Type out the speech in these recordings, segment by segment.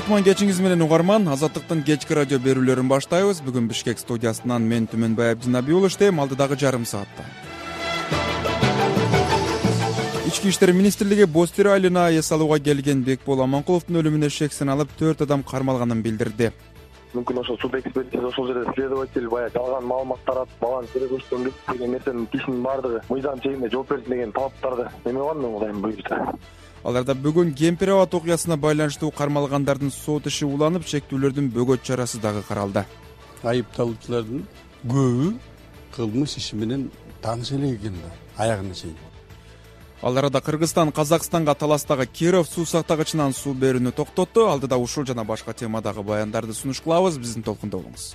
Кутман кечиңиз менен угарман, Азаттыктын кечки радио берүүлөрүн баштайбыз. Бүгүн Бишкек студиясынан мен Түмөнбай Абдинабиулов иштейм. Алдыдагы жарым саатта Ички иштер министрлиги Бостир айылына эс алууга келген Бекбол Аманкуловдун өлүмүнө шексин алып 4 адам кармалганын билдирди. Мүмкүн ошол суд экспертиза ошол жерде следователь баягы жалган маалымат таратып баланы тире көрсөткөн деген нерсенин кишинин баардыгы мыйзам чегинде жооп берсин деген талаптарды эме кылган мен Кудайым буйрса. Аларда бүгүн Кемпир абад окуясына байланыштуу кармалгандардын сот иши уланып, чектүүлөрдүн бөгөт чарасы дагы каралды. Айыпталуучулардын көбү кылмыш иши менен тааныш эле экен да, аягына чейин. Ал арада Кыргызстан Казакстанга таластагы Киров суу сактагычынан суу берүүнү токтотту. Алдыда ушул жана башка темадагы баяндарды сунуш кылабыз. Биздин толкунда болуңуз.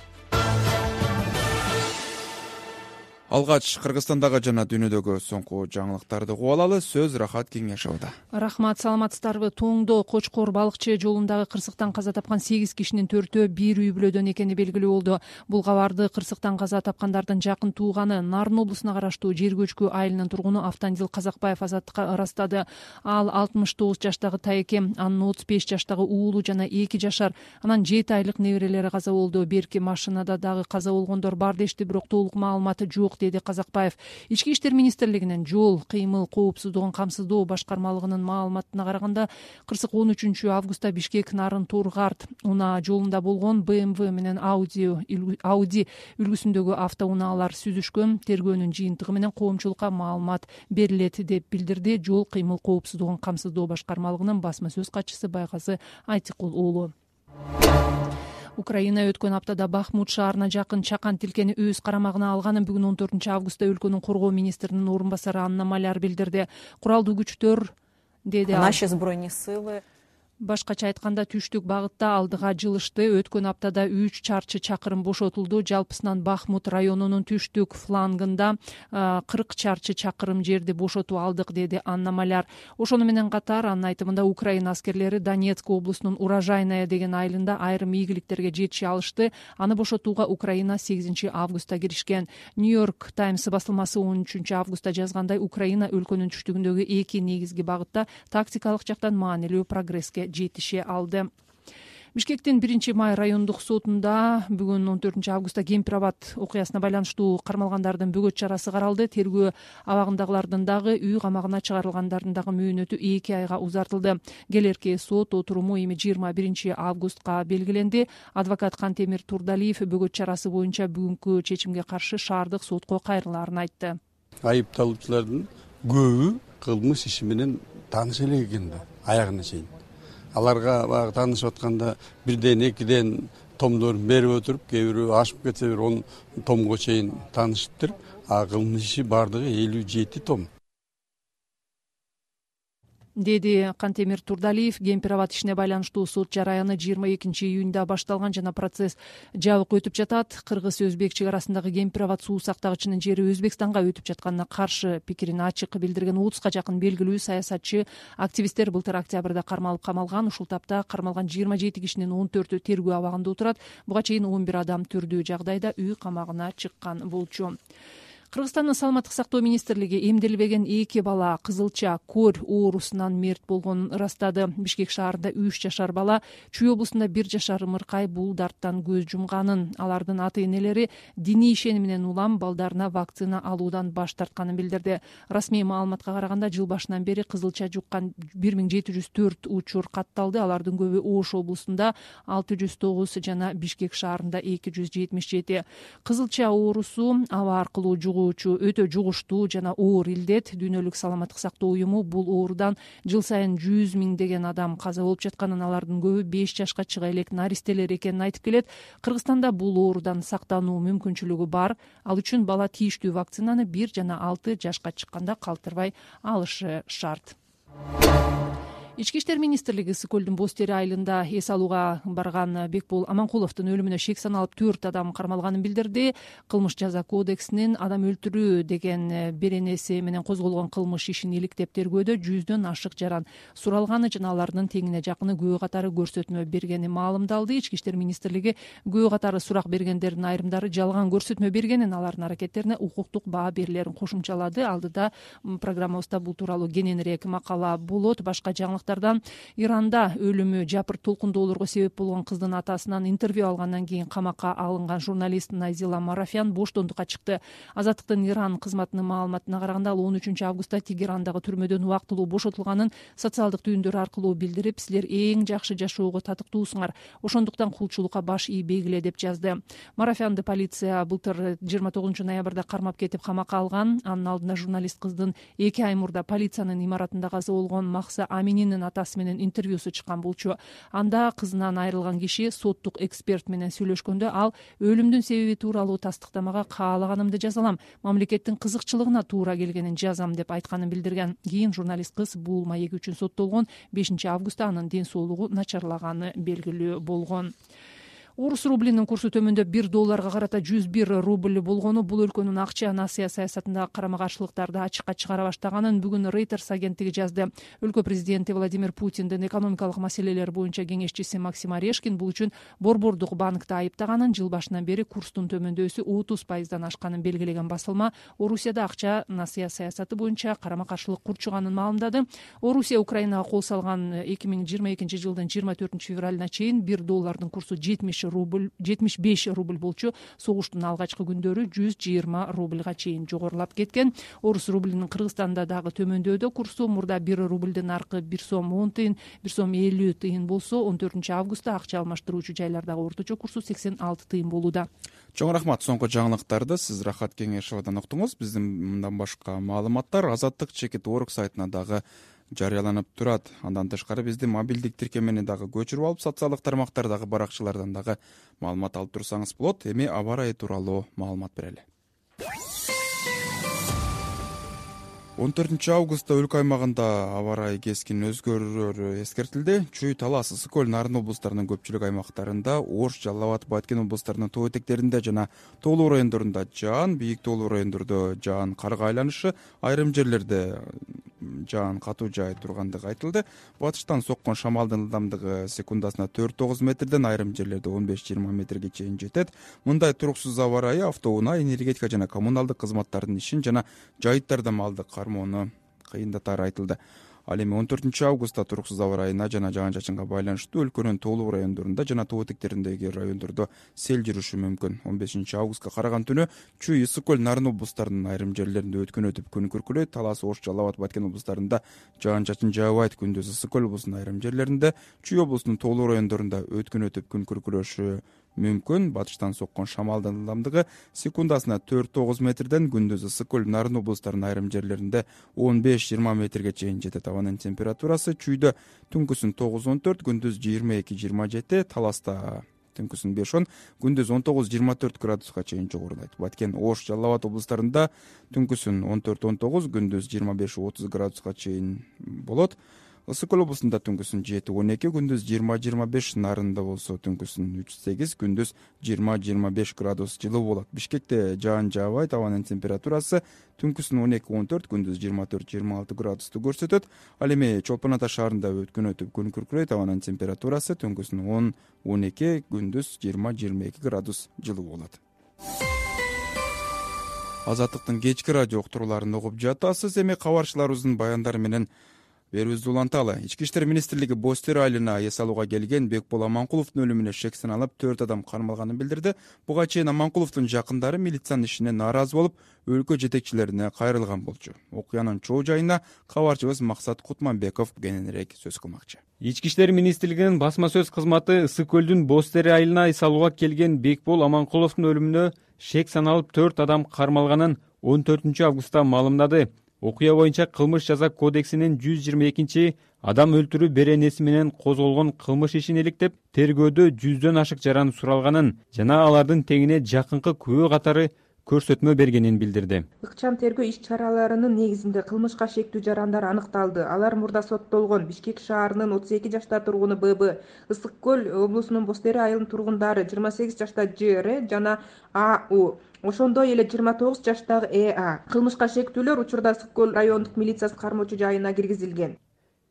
Алгач Кыргызстандагы жана дүйнөдөгү соңку жаңылыктарды угуп алалы. Сөз Рахат Кеңешовдо. Рахмат, саламатсыздарбы? Тоңдо Кочкор балыкчы жолундагы кырсыктан каза тапкан 8 кишинин 4-өө бир үй бүлөдөн экени белгилүү болду. Бул кабарды кырсыктан каза тапкандардын жакын тууганы Нарын облусуна караштуу Жер көчкү айылынын тургуну Автандил Казакбаев Азаттыкка ырастады. Ал 69 жаштагы тайеке, анын 35 жаштагы уулу жана 2 жашар, анан 7 айлык неберелери каза болду. Берки машинада дагы каза болгондор бар дешти, бирок толук маалыматы жок, деди Казакбаев. Ички иштер министрлигинин жол кыймыл коопсуздугун камсыздоо башкармалыгынын маалыматына караганда, кырсык 13 августта Бишкек Нарын Тургарт унаа жолунда болгон BMW менен Audi үлгүсүндөгү автоунаалар сүзүшкөн. Тергөөнүн жыйынтыгы менен коомчулукка маалымат берилет деп билдирди жол кыймыл коопсуздугун камсыздоо башкармалыгынын басма сөз катчысы Байгазы Айтыкул уулу. Украина өткөн аптада Бахмут шаарына жакын чакан тилкени өз карамагына алганын бүгүн 14 августта өлкөнүн коргоо министринин орун басары Анна Маляр билдирди. Куралдуу күчтөр, деди ал, наши збройные силы башкача айтканда түштүк багытта алдыга жылышты. Өткөн аптада 3 чарчы чакырым бошотулду. Жалпысынан Бахмут районунун түштүк флангында 40 чарчы чакырым жерди бошотуп алдык, деди Анна Маляр. Ошону менен катар анын айтымында Украина аскерлери Донецк облусунун Урожайная деген айылында айрым ийгиликтерге жетише алышты. Аны бошотууга Украина 8 августта киришкен. Нью-Йорк Таймс басылмасы 13 августта жазгандай, Украина өлкөнүн түштүгүндөгү 2 негизги багытта тактикалык жактан маанилүү прогресске жетише алды. Бишкектин 1-май райондук сотунда бүгүн 14 августта Кемпир абад окуясына байланыштуу кармалгандардын бөгөт чарасы каралды. Тергөө абагындагылардын дагы, үй камагына чыгарылгандардын дагы мөөнөтү 2 айга узартылды. Келерки сот отуруму эми 21 августка белгиленди. Адвокат Кантемир Турдалиев бөгөт чарасы боюнча бүгүнкү чечимге каршы шаардык сотко кайрылаарын айтты. Айыпталуучулардын көбү кылмыш иши менен тааныш эле экен да, аягына чейин. Аларга баягы таанышып атканда бирден экиден томдорун берип отуруп, кээ бирөө ашып кетсе 10 томго чейин таанышыптыр. А кылмыш иши бардыгы 57 том, деди Кантемир Турдалиев. Кемпир абад ишине байланыштуу сот жараяны 22 июнда башталган жана процесс жабык өтүп жатат. Кыргыз-өзбек чек арасындагы Кемпир абад суу сактагычынын жери Өзбекстанга өтүп жатканына каршы пикирин ачык билдирген 30га жакын белгилүү саясатчы, активисттер былтыр октябрда кармалып камалган. Ушул тапта кармалган 27 кишинин 14-ü тергөө абагында отурат. Буга чейин 11 адам түрдүү жагдайда үй камагына чыккан болчу. Кыргызстандын саламаттык сактоо министрлиги эмделбеген 2 бала кызылча көр оорусунан мерт болгонун ырастады. Бишкек шаарында 3 жашар бала, Чүй облусунда 1 жашар ымыркай бул дарттан көз жумганын, алардын ата-энелери диний ишеним менен улам балдарына вакцина алуудан баш тартканын билдирди. Расмий маалыматка караганда жыл башынан бери кызылча жуккан 1704 учур катталды. Алардын көбү Ош облусунда 609 жана Бишкек шаарында 277. Кызылча оорусу аба аркылуу өтө жугуштуу жана оор илдет. Дүйнөлүк саламаттык сактоо уюму бул оорудан жыл сайын 100 миңдеген адам каза болуп жатканын, алардын көбү 5 жашка чыга элек наристелер экенин айтып келет. Кыргызстанда бул оорудан сактануу мүмкүнчүлүгү бар. Ал үчүн бала тийиштүү вакцинаны 1 жана 6 жашка чыкканда калтырбай алышы шарт. Ички иштер министрлиги Ысык көлдүн Бостир айылында эс алууга барган Бекбол Аманкуловдун өлүмүнө шек саналып 4 адам кармалганын билдирди. Кылмыш жаза кодексинин адам өлтүрүү деген беренеси менен козголгон кылмыш ишин иликтеп тергөөдө 100дөн ашык жаран суралганы жана алардын теңине жакыны күбө катары көрсөтмө бергени маалымдалды. Ички иштер министрлиги күбө катары сурак бергендердин айрымдары жалган көрсөтмө бергенин, алардын аракеттерине укуктук баа берилерин кошумчалады. Алдыда программабызда бул тууралуу кененирээк макала болот. Башка жаңылык жаңылыктардан Иранда өлүмү жапыр толкундоолорго себеп болгон кыздын атасынан интервью алгандан кийин камакка алынган журналист Назила Марафян боштондукка чыкты. Азаттыктын Иран кызматынын маалыматына караганда ал 13 августта Тегерандагы түрмөдөн убактылуу бошотулганын социалдык түйүндөр аркылуу билдирип, силер эң жакшы жашоого татыктуусуңар, ошондуктан кулчулукка баш ийбегиле деп жазды. Марафянды полиция былтыр 29 ноябрда кармап кетип камакка алган. Анын алдында журналист кыздын 2 ай мурда полициянын имаратында каза болгон Махса Амининин атасы менен интервьюсу чыккан болчу. Анда кызынан айрылган киши соттук эксперт менен сүйлөшкөндө ал өлүмдүн себеби тууралуу тастыктамага каалаганымды жазалам, мамлекеттин кызыкчылыгына туура келгенин жазам деп айтканын билдирген. Кийин журналист кыз бул маек үчүн соттолгон. 5 августта анын ден соолугу начарлаганы белгилүү болгон. Орус рублинин курсу төмөндөп $1 карата 101 рубль болгону бул өлкөнүн акча насыя саясатындагы карама-каршылыктарды ачыкка чыгара баштаганын бүгүн Reuters агенттиги жазды. Өлкө президенти Владимир Путиндин экономикалык маселелер боюнча кеңешчиси Максим Орешкин бул үчүн борбордук банкты айыптаганын, жыл башынан бери курстун төмөндөсү 30% ашканын белгилеген басылма Орусияда акча насыя саясаты боюнча карама-каршылык курчуганын маалымдады. Орусия Украинага кол салган 2022 жылдын 24 февралына чейин $1 курсу 75 рубль болчу. Согуштун алгачкы күндөрү 120 рубльга чейин жогорулап кеткен. Орус рублинин Кыргызстанда дагы төмөндөдө курсу. Мурда 1 рубльдин аркы 1 сом 10 тыйын, 1 сом 50 тыйын болсо, 14 августта акча алмаштыруучу жайлардагы орточо курсу 86 тыйын болууда. Чоң рахмат. Соңку жаңылыктарды сиз Рахат Кеңешовадан уктуңуз. Биздин мындан башка маалыматтар Азаттык Чекит.org сайтына дагы жарыяланып турат. Андан тышкары биздин мобилдик тиркемени дагы көчүрүп алып, социалдык тармактардагы баракчалардан дагы маалымат алып турсаңыз болот. Эми аба ырайы тууралуу маалымат берели. 14 августта өлкө аймагында аба ырайы кескин өзгөрүүрү эскертилди. Чүй, Талас, Ысык көл, Нарын облустарынын көпчүлүк аймактарында, Ош, Жалал Абад, Баткен облустарынын тоо этектеринде жана тоолуу райондорунда жаан, бийик тоолуу райондордо жаан карга айланышы, айрым жерлерде жаан катуу жаай тургандыгы айтылды. Батыштан соккон шамалдын ылдамдыгы секундасына 4-9 метрден, айрым жерлерде 15-20 метрге чейин жетет. Мындай туруксуз аба ырайы автоунаа, энергетика жана коммуналдык кызматтардын ишин жана жайыттарда малды кармоону кыйындатары айтылды. Ал эми 14 августта туруксуз аба ырайына жана жаан-чачынга байланыштуу өлкөнүн тоолуу райондорунда жана тоо этектериндеги райондордо сел жүрүшү мүмкүн. 15 августка караган түнү Чүй, Ысык көл, Нарын облустарынын айрым жерлеринде өткөн өтүп күн күркүрөйт. Талас, Ош, Жалал Абад, Баткен облустарында жаан-чачын жаабайт. Күндүз Ысык көл облусунун айрым жерлеринде, Чүй облусунун тоолуу райондорунда өткөн өтүп күн күркүрөшү мүмкүн. Батыштан соккон шамалдын ылдамдыгы секундасына 4-9 метрден, күндүз Ысык көл, Нарын облустарынын айрым жерлеринде 15-20 метрге чейин жетет. Абанын температурасы Чүйдө түнкүсүн 9-14, күндүз 22-27, Таласта түнкүсүн 5-10, күндүз 19-24 градуска чейин жогорулайт. Баткен, Ош, Жалал Абад облустарында түнкүсүн 14-19, күндүз 25-30 градуска чейин болот. Ысык көл облусунда түнкүсүн 7-12, күндүз 20-25, Нарында болсо түнкүсүн 3-8, күндүз 20-25 градус жылуу болот. Бишкекте жаан жаабайт. Абанын температурасы түнкүсүн 12-14, күндүз 24-26 градусту көрсөтөт. Ал эми Чолпон Ата шаарында өткөн өтүп күн күркүрөйт. Абанын температурасы түнкүсүн 10-12, күндүз 20-22 градус жылуу болот. Азаттыктын кечки радио уктурууларын угуп жатасыз. Эми кабарчыларыбыздын баяндары менен берүүбүздү уланталы. Ички иштер министрлиги Бостер айылына эс алууга келген Бекбол Аманкуловдун өлүмүнө шек саналып 4 адам кармалганын билдирди. Буга чейин Аманкуловдун жакындары милициянын ишине нааразы болуп, өлкө жетекчилерине кайрылган болчу. Окуянын чоо жайына кабарчыбыз Максат Кутманбеков кененирээк сөз кылмакчы. Ички иштер министрлигинин басма сөз кызматы Ысык көлдүн Бостер айылына эс алууга келген Бекбол Аманкуловдун өлүмүнө шек саналып 4 адам кармалганын 14 августта маалымдады. Окуя боюнча кылмыш жаза кодексинин 122 адам өлтүрүү беренеси менен козголгон кылмыш ишин иликтеп, тергөөдө 100дөн ашык жаран суралганын жана алардын теңине жакынкы күбө катары көрсөтмө бергенин билдирди. Ыкчам тергөө иш-чараларынын негизинде кылмышка шектүү жарандар аныкталды. Алар мурда соттолгон Бишкек шаарынын 32 жашта тургуну ББ, Ысык көл облусунун Бостери айылынын тургундары 28 жашта ЖР жана АУ, ошондой эле 29 жаштагы ЭА. Кылмышка шектүүлөр учурда Ысык көл райондук милициясы кармоочу жайына киргизилген,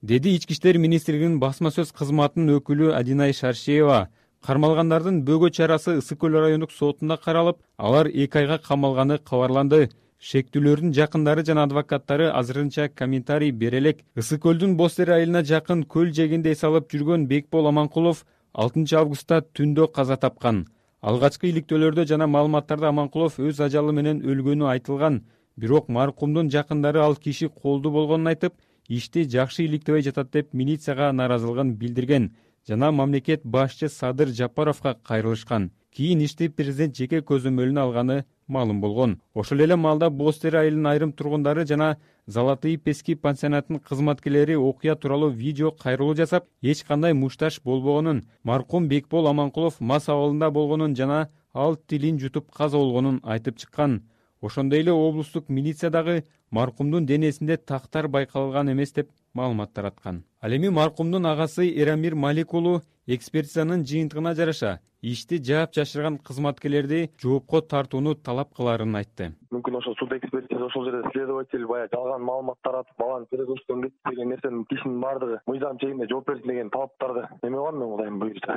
деди Ички иштер министрлигинин басма сөз кызматынын өкүлү Адинай Шаршеева. Кармалгандардын бөгөө чарасы Ысык көл райондук сотунда каралып, алар 2 айга камалганы кабарланды. шектүүлөрдүн жакындары жана адвокаттары азырынча комментарий бере элек. Ысык көлдүн Боз Тере айылына жакын көл жээгинде эс алып жүргөн Бекбол Аманкулов 6 августта түндө каза тапкан. Алгачкы иликтөөлөрдө жана маалыматтарда Аманкулов өз ажалы менен өлгөнү айтылган. Бирок маркумдун жакындары ал киши колдуу болгонун айтып, ишти жакшы иликтебей жатат деп милицияга нааразылыгын билдирген жана мамлекет башчы Садыр Жапаровго кайрылышкан. Кийин ишти президент жеке көзөмөлүнө алганы маалым болгон. Ошол эле маалда Боз Тере айылынын айрым тургундары жана Золотые пески пансионатынын кызматкерлери окуя тууралуу видео кайрылуу жасап, эч кандай мушташ болбогонун, маркум Бекбол Аманкулов мас абалында болгонун жана ал тилин жутуп каза болгонун айтып чыккан. Ошондой эле облустук милиция дагы маркумдун денесинде тактар байкалган эмес деп маалымат тараткан. Ал эми маркумдун агасы Эрамир Малик уулу экспертизанын жыйынтыгына жараша ишти жаап жашырган кызматкерлерди жоопко тартууну талап кыларын айтты. Мүмкүн ошол суд экспертиза ошол жерде следователь баягы жалган маалымат таратып, баланы передоштон кетти деген нерсенин кишинин баардыгы мыйзам чегинде жооп берсин деген талаптарды эме кылган мен кудайым буйрса.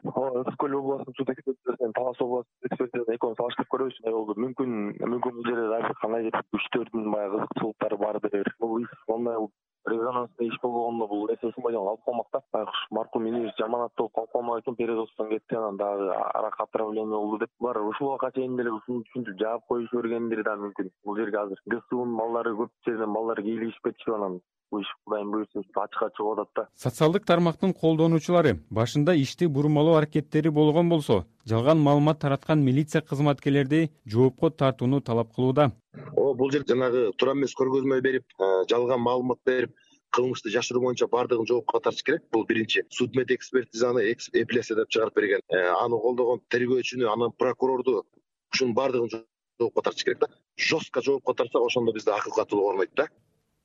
Ысык көл областынын суд экспертизасынан Талас областынын экспертизасын экөөнү салыштырып көрөбүз. Мүмкүн бул жерде дагы кандай күчтөрдүн баягы кызыкчылыктары бардыр. Бул иш ондай резонансный иш болгондо бул нерсе ушундай алып калмак да. Байкуш маркум инибиз жаманаттуу калып калмак экен, передоштон кетти, анан дагы аракка отравление болду деп. Булар ушуга чейин деле ушуну түшүнүп жаап коюшу бергендери да мүмкүн. Бул жерге азыр ГСУнун балдары көп жерден балдар кийлигишип кетишип, анан бул иш кудайым буйрса ачыкка чыгып атат да. Социалдык тармактын колдонуучулары башында ишти бурмалоо аракеттери болгон болсо, жалган маалымат тараткан милиция кызматкерлерди жоопко тартууну талап кылууда. Бул жер жанагы туура эмес көргөзмө берип, жалган маалымат берип, кылмышты жашыруу боюнча баардыгын жоопко тартыш керек. Бул биринчи. Судмед экспертизаны эпилляция деп чыгарып берген. Аны колдогон тергөөчүнү, анан прокурорду ушунун баардыгын жоопко тартыш керек да. Жестко жоопко тартсак, ошондо бизде акыл катуулук орнойт да.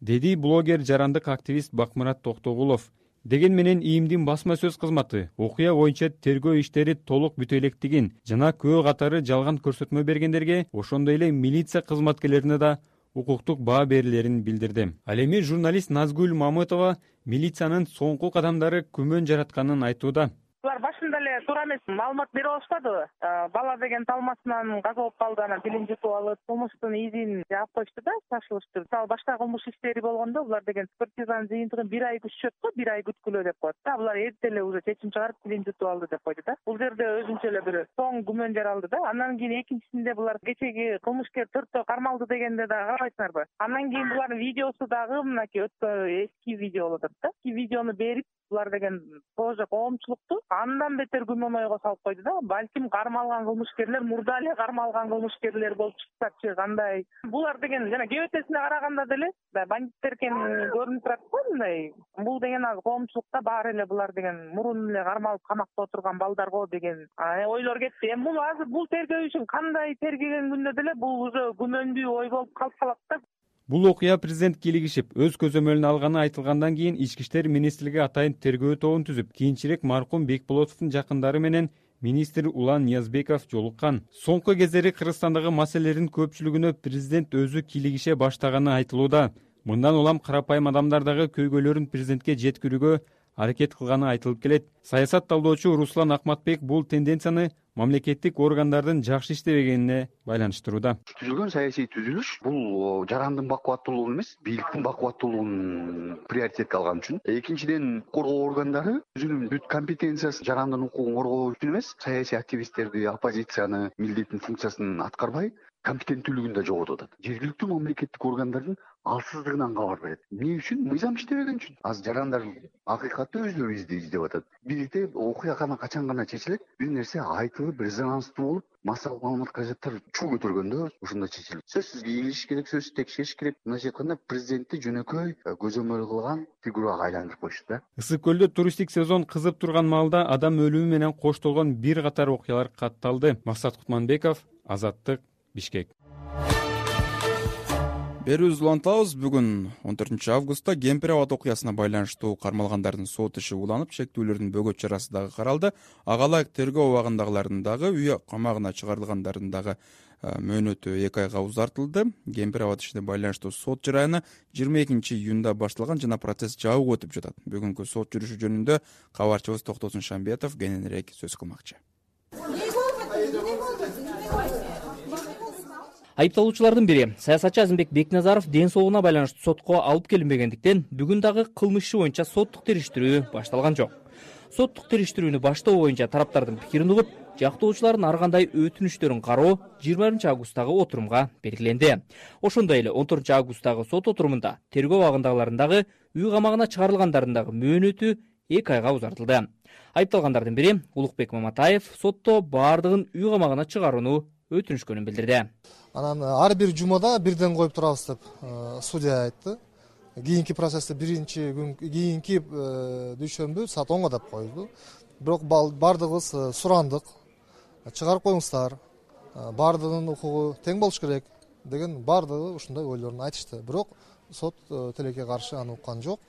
Деди блогер, жарандык активист Бакмурат Токтогулов. Деген менен ИИМдин басма сөз кызматы окуя боюнча тергөө иштери толук бүтө электигин жана күбө катары жалган көрсөтмө бергендерге, ошондой эле милиция кызматкерлерине да укуктук баа берилерин билдирди. Ал эми журналист Назгүл Мамытова милициянын соңку кадамдары күмөн жаратканын айтууда. Булар башында эле туура эмес маалымат бере алышпадыбы? Бала деген талмасынан каза болуп калды, анан тилин жутуп алып, кылмыштын изин жаап койушту да, шашылыштыр. Мисалы башка кылмыш иштери болгондо булар деген экспертизанын жыйынтыгын 1 ай күтүшөт го, 1 ай күткүлө деп коет да. Булар эрте эле уже чечим чыгарып тилин жутуп алды деп койду да. Бул жерде өзүнчө эле бир соң күмөн жаралды да. Андан кийин экинчисинде булар кечеги кылмышкер 4төө кармалды дегенде да карабайсыңарбы? Андан кийин булардын видеосу дагы мынакей эски видео болуп атат да. Эски видеону берип, булар деген тоже коомчулукту андан бетер күмөн ойго салып койду да. Балким кармалган кылмышкерлер мурда эле кармалган кылмышкерлер болуп чыксачы кандай. Булар деген жана кебетесине караганда деле бандиттер экени көрүнүп турат го мындай. Бул деген коомчулукта баары эле булар деген мурун эле кармалып камакта отурган балдар го деген ойлор кетти. Эми бул азыр бул тергөө ишин кандай тергеген күндө деле бул уже күмөндүү ой болуп калып калат да. Бул окуя президент кийлигишип, өз көзөмөлүнө алганы айтылгандан кийин Ички иштер министрлиги атайын тергөө тобун түзүп, кийинчерээк маркум Бекболотовдун жакындары менен министр Улан Ниязбеков жолуккан. Соңку кездери Кыргызстандагы маселелердин көпчүлүгүнө президент өзү кийлигише баштаганы айтылууда. Мындан улам карапайым адамдар дагы көйгөйлөрүн президентке жеткирүүгө аракет кылганы айтылып келет. Саясат талдоочу Руслан Акматбек бул тенденцияны мамлекеттик органдардын жакшы иштебегенине байланыштырууда. Түзүлгөн саясий түзүлүш бул жарандын бакубаттуулугун эмес, бийликтин бакубаттуулугун приоритетке алган үчүн. Экинчиден, коргоо органдары өзүнүн бүт компетенциясын жарандын укугун коргоо үчүн эмес, саясий активисттерди, оппозицияны, милдеттин функциясын аткарбай, компетенттүүлүгүн да жоготуп атат. Жергиликтүү мамлекеттик органдардын алсыздыгынан кабар берет. Эмне үчүн? Мыйзам иштебеген үчүн. Азыр жарандар акыйкатты өздөрү издеп атат. Бизде окуя качан гана чечилет, бир нерсе айтылып, резонанстуу болуп, массалык маалымат каражаттар чуу көтөргөндө ошондо чечилет. Сөзсүз кийлигиш керек, сөзсүз текшериш керек. Мындайча айтканда, президентти жөнөкөй көзөмөл кылган фигурага айландырып койушту да. Ысык көлдө туристтик сезон кызып турган маалда адам өлүмү менен коштолгон бир катар окуялар катталды. Максат Кутманбеков, Азаттык, Бишкек. Берүүбүздү улантабыз. Бүгүн 14 августта Кемпир абад окуясына байланыштуу кармалгандардын сот иши уланып, шектүүлөрдүн бөгөт чарасы дагы каралды. Ага ылайык тергөө абагындагылардын дагы үй камагына чыгарылгандардын дагы мөөнөтү 2 айга узартылды. Кемпир абад ишине байланыштуу сот жараяны 22 июнда башталган жана процесс жабык өтүп жатат. Бүгүнкү сот жүрүшү жөнүндө кабарчыбыз Токтосун Шамбетов кененирээк сөз кылмакчы. Айыпталуучулардын бири саясатчы Азимбек Бекназаров ден соолугуна байланыштуу сотко алып келинбегендиктен бүгүн дагы кылмыш иши боюнча соттук териштирүү башталган жок. Соттук териштирүүнү баштоо боюнча тараптардын пикирин угуп, жактоочулардын ар кандай өтүнүчтөрүн кароо 20 августтагы отурумга белгиленди. Ошондой эле 14 августтагы сот отурумунда тергөө абагындагылардын дагы үй камагына чыгарылгандардын дагы мөөнөтү 2 айга узартылды. Айыпталгандардын бири Улукбек Маматаев сотто баардыгын үй камагына чыгарууну өтүнүшкөнүн билдирди. Анан ар бир жумада бирден коюп турабыз деп судья айтты. Кийинки процессте биринчи күн кийинки дүйшөмбү саат 10 деп койду. Бирок баардыгыбыз сурандык. Чыгарып коюңуздар. Баардыгынын укугу тең болуш керек деген баардыгы ушундай ойлорун айтышты. Бирок сот тилекке каршы аны уккан жок.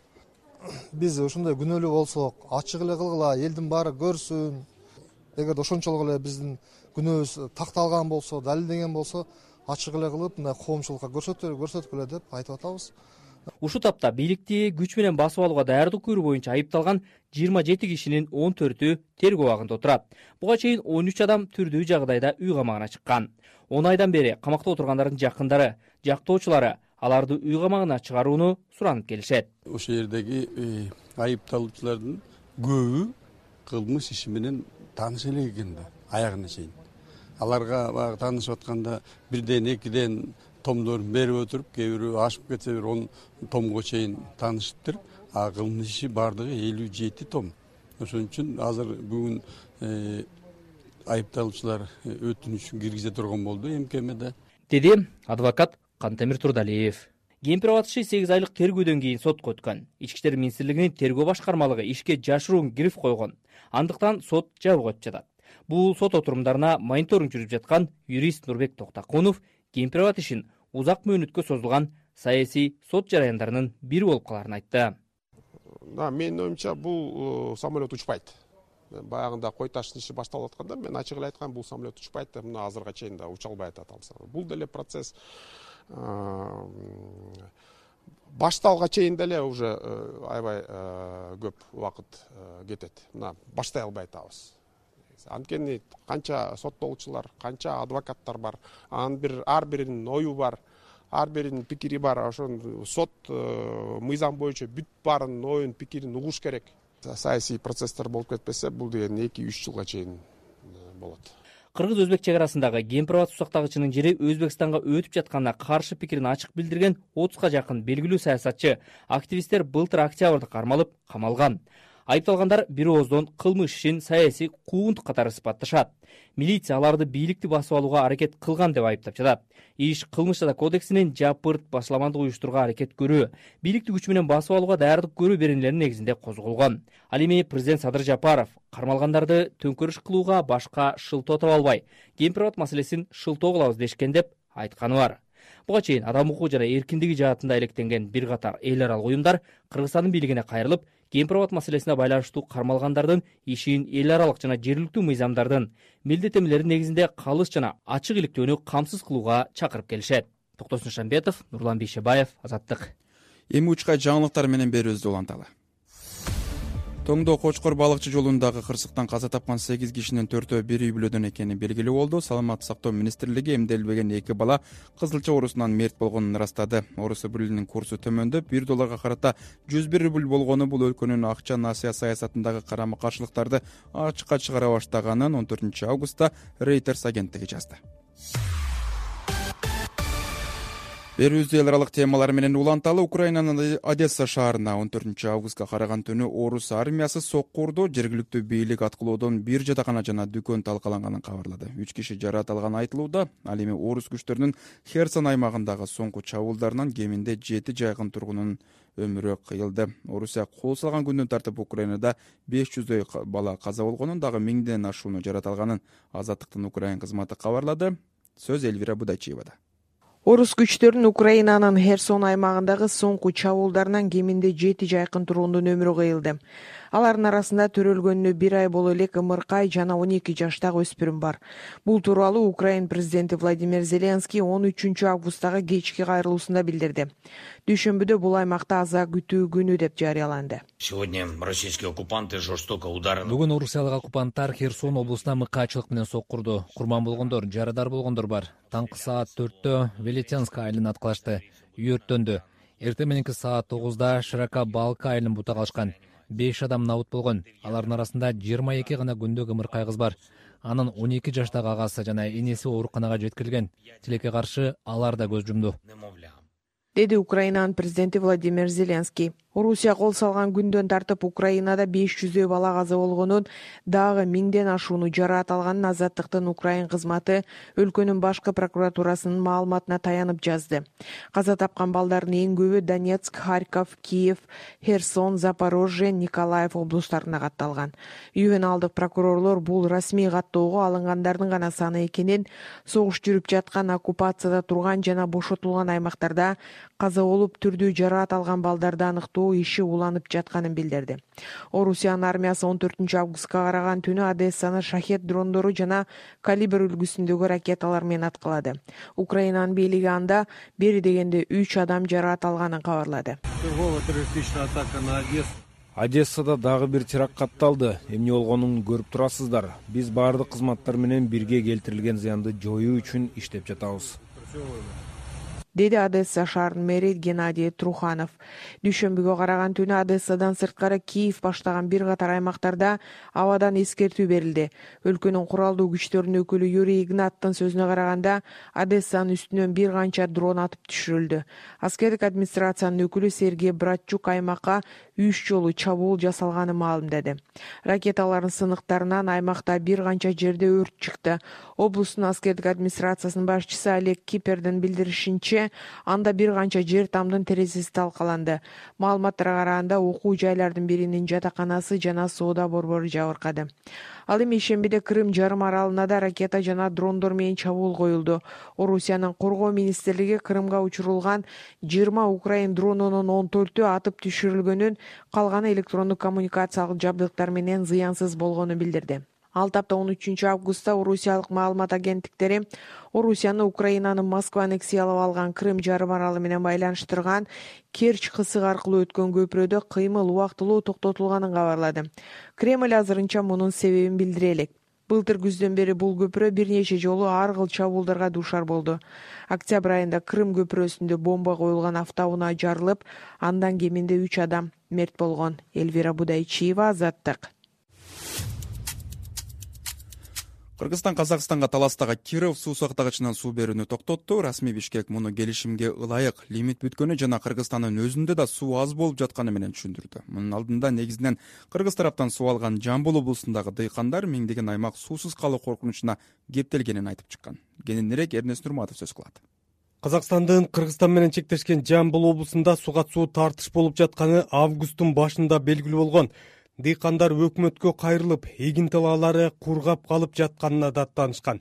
Биз ушундай күнөөлүү болсок, ачык эле кылгыла, элдин баары көрсүн. Эгерде ошончолук эле биздин күнөөбүз такталган болсо, далилденген болсо, ачык эле кылып, мына коомчулукка көрсөткүлө деп айтып атабыз. Ушул тапта бийликти күч менен басып алууга даярдык көрүү боюнча айыпталган 27 кишинин 14-ү тергөө абагында отурат. Буга чейин 13 адам түрдүү жагдайда үй камагына чыккан. 10 айдан бери камакта отургандардын жакындары, жактоочулары аларды үй камагына чыгарууну суранып келишет. Ошол жердеги айыпталуучулардын көбү кылмыш иши менен тааныш элек экен да, аягына чейин. Аларга баягы таанышып атканда бирден экиден томдорун берип өтүрүп, кээ бирөө ашып кетсе 10 томго чейин таанышыптыр. Кылмыш иши бардыгы 57 том. Ошон үчүн азыр бүгүн айыпталуучулар өтүнүчүн киргизе турган болду МКМде. Деди адвокат Кантемир Турдалиев. Кемпир абад иши 8 айлык тергөөдөн кийин сотко өткөн. Ички иштер министрлигинин тергөө башкармалыгы ишке жашыруун гриф койгон. Андыктан сот жабык өтүп жатат. Бул сот отурумдарына мониторинг жүрүп жаткан юрист Нурбек Токтакунов кемпир абад ишин узак мөөнөткө созулган саясий сот жараяндарынын бири болуп каларын айтты. Менин оюмча бул самолет учпайт. Баягында кой таштын иши башталып атканда мен ачык эле айткам, бул самолет учпайт деп, мына азырга чейин да уча албай атат. Бул деле процесс башталга чейин деле уже аябай көп убакыт кетет. Мына баштай албай атабыз. Анткени канча соттолуучулар, канча адвокаттар бар, ар биринин ою бар, ар биринин пикири бар. Ошон сот мыйзам боюнча бүт баарынын оюн, пикирин угуш керек. Саясий процесстер болуп кетпесе, бул деген 2-3 жылга чейин болот. Кыргыз-өзбек чек арасындагы кемпир абад сусактагычынын жери Өзбекстанга өтүп жатканына каршы пикирин ачык билдирген 30га жакын белгилүү саясатчы, активисттер былтыр октябрда кармалып, камалган. Айыпталгандар бир ооздон кылмыш ишин саясий куугунтук катары сыпатташат. Милиция аларды бийликти басып алууга аракет кылган деп айыптап жатат. Иш кылмыш жаза кодексинин жапырт башламандык уюштурууга аракет көрүү, бийликти күч менен басып алууга даярдык көрүү беренелеринин негизинде козголгон. Ал эми президент Садыр Жапаров кармалгандарды төңкөрүш кылууга башка шылтоо таба албай, кемпир абад маселесин шылтоо кылабыз дешкен деп айтканы бар. Буга чейин адам укугу жана эркиндиги жаатында электенген бир катар эл аралык уюмдар Кыргызстандын бийлигине кайрылып, кемпир абад маселесине байланыштуу кармалгандардын ишин эл аралык жана жергиликтүү мыйзамдардын милдеттенмелери негизинде калыс жана ачык иликтөөнү камсыз кылууга чакырып келишет. Токтосун Шамбетов, Нурлан Бейшебаев, Азаттык. Эми учка жаңылыктар менен берүүбүздү уланталы. Тоңдо Кочкор балыкчы жолундагы кырсыктан каза тапкан 8 кишинин 4-өө бир үй бүлөдөн экени белгилүү болду. Саламаттык сактоо министрлиги эмделбеген 2 бала кызылча оорусунан мерт болгонун ырастады. Оорус рублинин курсу төмөндөп, $1 карата 101 рубль болгону бул өлкөнүн акча насыя саясатындагы карама-каршылыктарды ачыкка чыгара баштаганын 14 августта Reuters агенттиги жазды. Берүүбүздү эл аралык темалар менен уланталы. Украинанын Одесса шаарына 14 августка караган түнү орус армиясы сокку урду. Жергиликтүү бийлик аткылоодон бир жатакана жана дүкөн талкаланганын кабарлады. 3 киши жараат алганы айтылууда. Ал эми орус күчтөрүнүн Херсон аймагындагы соңку чабуулдарынан кеминде 7 жайкын тургунунун өмүрү кыйылды. Орусия кол салган күндөн тартып Украинада 500дөй бала каза болгонун, дагы 1000ден ашууну жараат алганын Азаттыктын Украин кызматы кабарлады. Сөз Эльвира Будачиевада. Орус күчтөрүнүн Украинанын Херсон аймагындагы соңку чабуулдарынан кеминде 7 жайкын тургундун өмүрү кыйылды. Алардын арасында төрөлгөнүнө 1 ай боло элек ымыркай жана 12 жаштагы өспүрүм бар. Бул тууралуу Украин президенти Владимир Зеленский 13 августтагы кечки кайрылуусунда билдирди. Дүйшөмбүдө бул аймакта аза күтүү күнү деп жарыяланды. Сегодня российские оккупанты жестоко ударили. Бүгүн орусиялык оккупанттар Херсон облусуна мыкаачылык менен соккурду. Курман болгондор, жарадар болгондор бар. Таңкы саат 4-тө Велетянск айылын аткылашты. Үй өрттөндү. Эртең мененки саат 9-да Широка Балка айылын бута калышкан. 5 адам набыт болгон. Алардын арасында 22 гана күндө ымыркай кыз бар. Анын 12 жаштагы агасы жана энеси ооруканага жеткирилген. Тилекке каршы алар да көз жумду, деди Украинанын президенти Владимир Зеленский. Орусия кол салган күндөн тартып Украинада 500 бала каза болгонун, дагы 1000ден ашууну жараат алганын Азаттыктын Украин кызматы өлкөнүн башкы прокуратурасынын маалыматына таянып жазды. Каза тапкан балдардын эң көбү Донецк, Харьков, Киев, Херсон, Запорожье, Николаев облустарына катталган. Ювеналдык прокурорлор бул расмий каттоого алынгандардын гана саны экенин, согуш жүрүп жаткан, оккупацияда турган жана бошотулган аймактарда каза болуп түрдүү жараат алган балдарды аныктоо иши уланып жатканын билдирди. Орусиянын армиясы 14 августка караган түнү Одессаны шахет дрондору жана калибр үлгүсүндөгү ракеталар менен аткылады. Украинанын бийлиги анда бери дегенде 3 адам жараат алганын кабарлады. Одессада дагы бир теракт катталды. Эмне болгонун көрүп турасыздар. Биз баардык кызматтар менен бирге келтирилген зыянды жоюу үчүн иштеп жатабыз, деди Одесса шаарынын мэри Геннадий Труханов. Дүйшөмбүгө караган түнү Одессадан сырткары Киев баштаган бир катар аймактарда абадан эскертүү берилди. Өлкөнүн куралдуу күчтөрүнүн өкүлү Юрий Игнаттын сөзүнө караганда, Одессанын үстүнөн бир канча дрон атып түшүрүлдү. Аскердик администрациянын өкүлү Сергей Братчук аймакка 3 жолу чабуул жасалганын маалымдады. Ракеталардын сыныктарынан аймакта бир канча жерде өрт чыкты. Облустун аскердик администрациясынын башчысы Олег Кипердин билдиришинче, анда бир канча жер тамдын терезеси талкаланды. Маалыматтарга караганда окуу жайлардын биринин жатаканасы жана соода борбору жабыркады. Ал эми ишембиде Крым жарым аралына да ракета жана дрондор менен чабуул коюлду. Орусиянын коргоо министрлиги Крымга учурулган 20 Украин дронунун 14-ü атып түшүрүлгөнүн, калганы электрондук коммуникациялык жабдыктар менен зыянсыз болгонун билдирди. Ал тапта 13 августта орусиялык маалымат агенттиктери Орусияны Украинанын Москва аннексиялап алган Крым жарым аралы менен байланыштырган Керчь кысыгы аркылуу өткөн көпүрөдө кыймыл убактылуу токтотулганын кабарлады. Кремль азырынча мунун себебин билдире элек. Былтыр күздөн бери бул көпүрө бир нече жолу ар кыл чабуулдарга дуушар болду. Октябрь айында Крым көпүрөсүндө бомба коюлган автоунаа жарылып, андан кеминде 3 адам мерт болгон. Эльвира Будайчиева, Азаттык. Кыргызстан Казакстанга таластагы Киров суу сактагычынан суу берүүнү токтотту. Расмий Бишкек муну келишимге ылайык, лимит бүткөнү жана Кыргызстандын өзүндө да суу аз болуп жатканы менен түшүндүрдү. Мунун алдында негизинен Кыргыз тараптан суу алган Жамбыл облусундагы дыйкандар миңдеген аймак суусуз калуу коркунучуна кептелгенин айтып чыккан. Кененирээк Эрнест Нурматов сөз кылат. Казакстандын Кыргызстан менен чектешкен Жамбыл облусунда суга суу тартыш болуп жатканы августтун башында белгилүү болгон. Дыйкандар өкмөткө кайрылып, эгин талаалары кургап калып жатканына даттанышкан.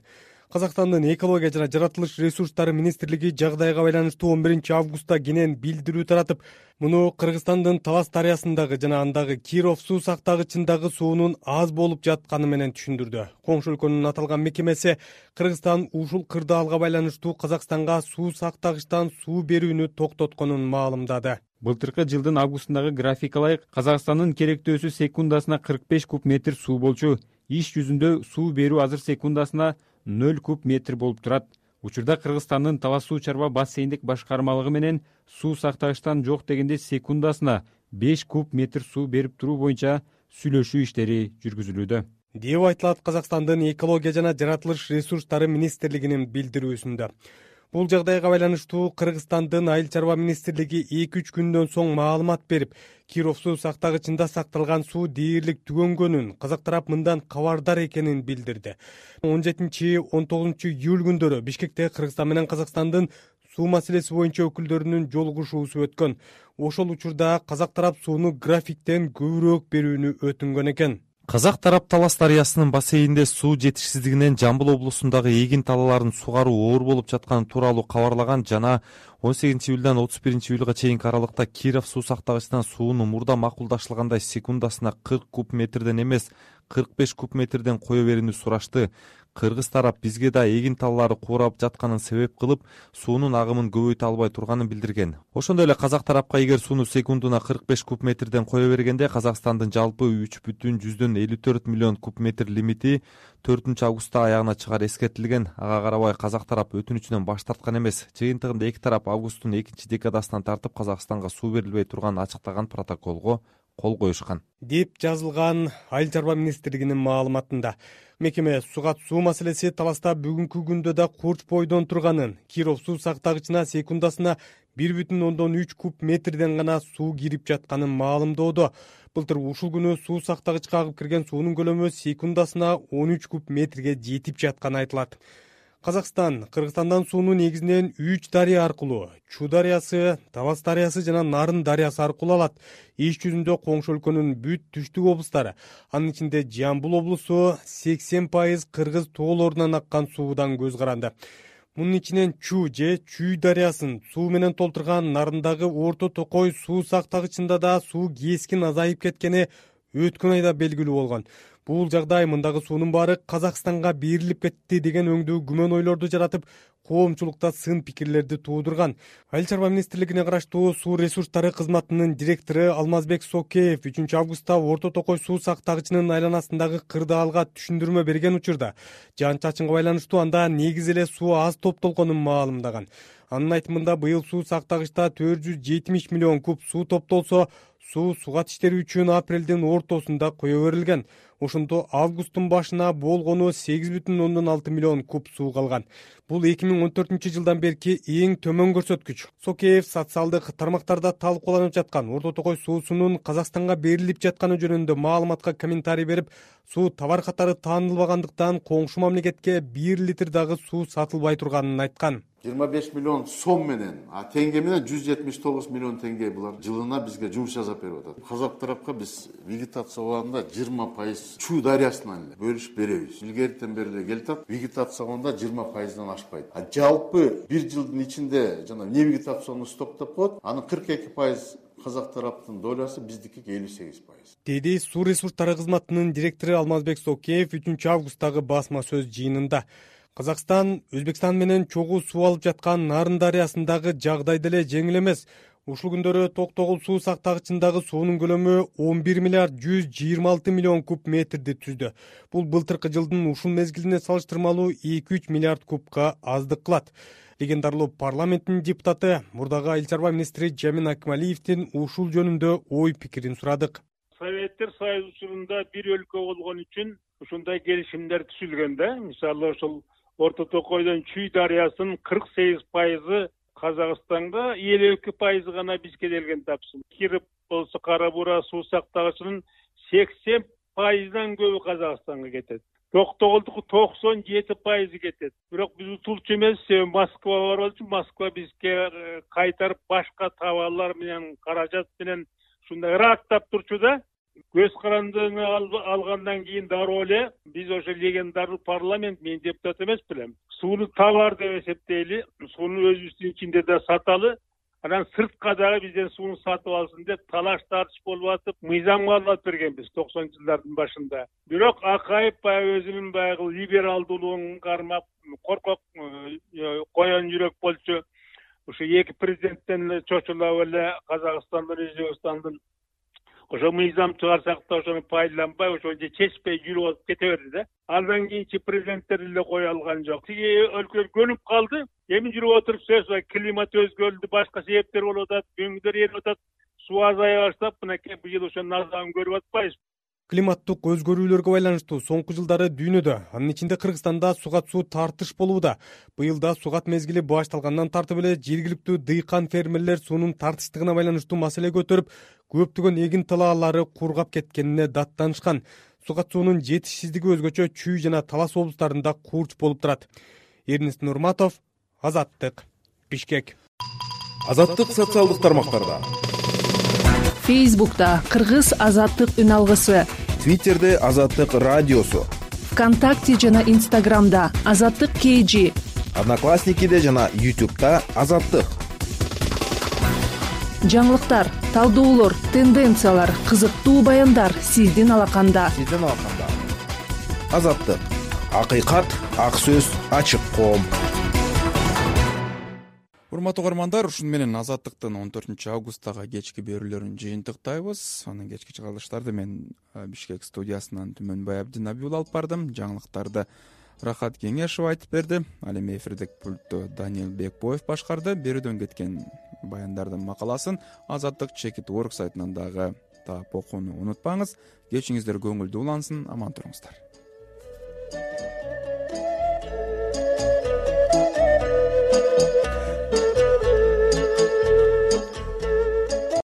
Казакстандын экология жана жаратылыш ресурстары министрлиги жагдайга байланыштуу 11 августта кенен билдирүү таратып, муну Кыргызстандын Талас дарыясындагы жана андагы Киров суу сактагычындагы суунун аз болуп жатканы менен түшүндүрдү. Коңшу өлкөнүн аталган мекемеси Кыргызстан ушул кырдаалга байланыштуу Казакстанга суу сактагычтан суу берүүнү токтотконун маалымдады. Былтыркы жылдын августундагы графикалайык Казакстандын керектөөсү секундасына 45 куб метр суу болчу. Иш жүзүндө суу берүү азыр секундасына 0 куб метр болуп турат. Учурда Кыргызстандын Талас суу чарба бассейндик башкармалыгы менен суу сактагычтан жок дегенде секундасына 5 куб метр суу берип туруу боюнча сүйлөшүү иштери жүргүзүлүүдө, деп айтылат Казакстандын экология жана жаратылыш ресурстары министрлигинин билдирүүсүндө. Бул жагдайга байланыштуу Кыргызстандын Айыл чарба министрлиги 2-3 күндөн соң маалымат берип, Киров суу сактагычында сакталган суу дээрлик түгөнгөнүн, казак тарап мындан кабардар экенин билдирди. 17-19 июль күндөрү Бишкекте Кыргызстан менен Казакстандын суу маселеси боюнча өкүлдөрүнүн жолугушуусу өткөн. Ошол учурда казак тарап сууну графиктен көбүрөөк берүүнү өтүнгөн экен. Казак тарап Талас дарыясынын бассейнинде суу жетишсиздигинен Жамбыл облусундагы эгин талааларын сугаруу оор болуп жатканы тууралуу кабарлаган жана 18-июлдан 31-июлга чейинки аралыкта Киров суу сактагычынан сууну мурда макулдаштырылгандай секундасына 40 куб метрден эмес 45 куб метрден кое берүүнү сурашты. Кыргыз тарап бизге да эгин таллары куурап жатканын себеп кылып, суунун агымын көбөйтө албай турганын билдирген. Ошондой эле казак тарапка эгер сууну секундуна 45 куб метрден кое бергенде Казакстандын жалпы 3,54 миллион куб метр лимити 4-августта аягына чыгары эскертилген. Ага карабай казак тарап өтүнүчүнөн баш тарткан эмес. Жыйынтыгында эки тарап августтун 2-декадасынан тартып Казакстанга суу берилбей турганын ачыктаган протоколго кол коюшкан деп жазылган Айыл чарба министрлигинин маалыматында. Мекеме сугат суу маселеси таласта бүгүнкү күндө да курч бойдон турганын, Киров суу сактагычына секундасына 1,3 куб метрден гана суу кирип жатканын маалымдоодо. Былтыр ушул күнү суу сактагычка агып кирген суунун көлөмү секундасына 13 куб метрге жетип жатканы айтылат. Казакстан Кыргызстандан сууну негизинен 3 дарыя аркылуу, Чу дарыясы, Талас дарыясы жана Нарын дарыясы аркылуу алат. Иш жүзүндө коңшу өлкөнүн бүт түштүк облустары, анын ичинде Жамбыл облусу 80% кыргыз тоолорунан аккан суудан көз каранды. Мунун ичинен Чу же Чүй дарыясын суу менен толтурган Нарындагы Орто Токой суу сактагычында да суу кескин азайып кеткени өткөн айда белгилүү болгон. Бул жагдай мындагы суунун баары Казакстанга берилип кетти деген өңдүү күмөн ойлорду жаратып, коомчулукта сын пикирлерди туудурган. Айыл чарба министрлигине караштуу суу ресурстары кызматынын директору Алмазбек Сокеев 3-августта Орто Токой суу сактагычынын айланасындагы кырдаалга түшүндүрмө берген учурда жаан-чачынга байланыштуу анда негизи эле суу аз топтолгонун маалымдаган. Анын айтымында быйыл суу сактагычта 470 миллион куб суу топтолсо, суу сугат иштери үчүн апрелдин ортосунда кое берилген. Ошондо августтун башына болгону 8,6 миллион куб суу калган. Бул 2014-жылдан берки эң төмөн көрсөткүч. Сокеев социалдык тармактарда талкууланып жаткан Орто Токой суусунун Казакстанга берилип жатканы жөнүндө маалыматка комментарий берип, суу товар катары таанылбагандыктан коңшу мамлекетке 1 литр дагы суу сатылбай турганын айткан. 25 миллион сом менен, теңге менен 179 миллион теңге булар жылына бизге жумуш жасап берип атат. Казак тарапка биз вегетация убагында 20% Чу дарыясынан бөлүшүп беребиз. Илгертен бери эле келип атат. Вегетация убагында 20%дан ашпайт. Жалпы бир жылдын ичинде жана не вегетацияны стоптоп коет, анын 42% казак тараптын долясы, биздики 58%. Деди суу ресурстары кызматынын директору Алмазбек Сокеев 3-августтагы басма сөз жыйынында. Казакстан Өзбекстан менен чогуу суу алып жаткан Нарын дарыясындагы жагдай деле жеңил эмес. Ушул күндөрү Токтогул суу сактагычындагы суунун көлөмү 11 миллиард 126 миллион куб метрди түздү. Бул былтыркы жылдын ушул мезгилине салыштырмалуу 2-3 миллиард кубка аздык кылат. Легендарлуу парламенттин депутаты, мурдагы айыл чарба министри Жамин Акмалиевдин ушул жөнүндө ой пикирин сурадык. Советтер Союзу учурунда бир өлкө болгон үчүн ушундай келишимдер түзүлгөн да. Мисалы ошол Орто Токойдон Чүй дарыясынын 48% Казакстанга, 52% гана бизге келген тапсын. Кирип болсо Кара Бура суу сактагычынын 80%дан көбү Казакстанга кетет. Токтогулдуку 97% кетет. Бирок биз утулчу эмес, Москва бар болчу, Москва бизге кайтарып башка товарлар менен, каражат менен ушундай ыраттап турчу да. Көз карандыны алгандан кийин дароо эле биз ошо легендарлуу парламент, мен депутат эмес белем. Сууну товар деп эсептейли, сууну өзүбүздүн ичинде да саталы, анан сыртка дагы бизден сууну сатып алсын деп талаш тартыш болуп атып, мыйзам кабылдап бергенбиз 90-жылдардын башында. Бирок Акаев баягы өзүнүн баягы либералдуулугун кармап, коркок коен жүрөк болчу. Ошо эки президенттен чочулап эле Казакстандын, Өзбекстандын ошо мыйзам чыгарсак да ошону пайдаланбай, ошончо чечпей жүрүп алып кете берди да. Андан кийинчи президенттер эле кое алган жок. Тиги өлкөлөр көнүп калды. Эми жүрүп отуруп сөз бар, климат өзгөрүлдү, башка себептер болуп атат, өңдөр эрип атат, суу азая баштап, мынакей быйыл ошонун азабын көрүп атпайбыз. Климаттык өзгөрүүлөргө байланыштуу соңку жылдары дүйнөдө, анын ичинде Кыргызстанда сугат суу тартыш болууда. Быйылда сугат мезгили башталгандан тартып эле жергиликтүү дыйкан фермерлер суунун тартыштыгына байланыштуу маселе көтөрүп, көптөгөн эгин талаалары кургап кеткенине даттанышкан. Сугат суунун жетишсиздиги өзгөчө Чүй жана Талас облустарында курч болуп турат. Эрнест Нурматов, Азаттык, Бишкек. Азаттык социалдык тармактарда. Фейсбукта Кыргыз Азаттык үн алгысы, Твиттерде Азаттык радиосу, ВКонтакте жана Инстаграмда Азаттык KG, Одноклассникиде жана YouTube'да Азаттык. жаңылыктар, талдоолор, тенденциялар, кызыктуу баяндар сиздин алаканда. Азаттык, акыйкат, ак сөз, ачык коом. Урматтуу угармандар, ушуну менен Азаттыктын 14 августтагы кечки берүүлөрүн жыйынтыктайбыз. Анын кечки чыгарылыштарды мен Бишкек студиясынан Түмөнбай Абдинабиул алып бардым. Жаңылыктарды Рахат Кеңешов айтып берди. Ал эми эфирдик пультту Даниил Бекбоев башкарды. Берүүдөн кеткен баяндардын макаласын Азаттык Чекит.org сайтынан дагы таап окууну унутпаңыз. Кечиңиздер көңүлдүү улансын, аман туруңуздар.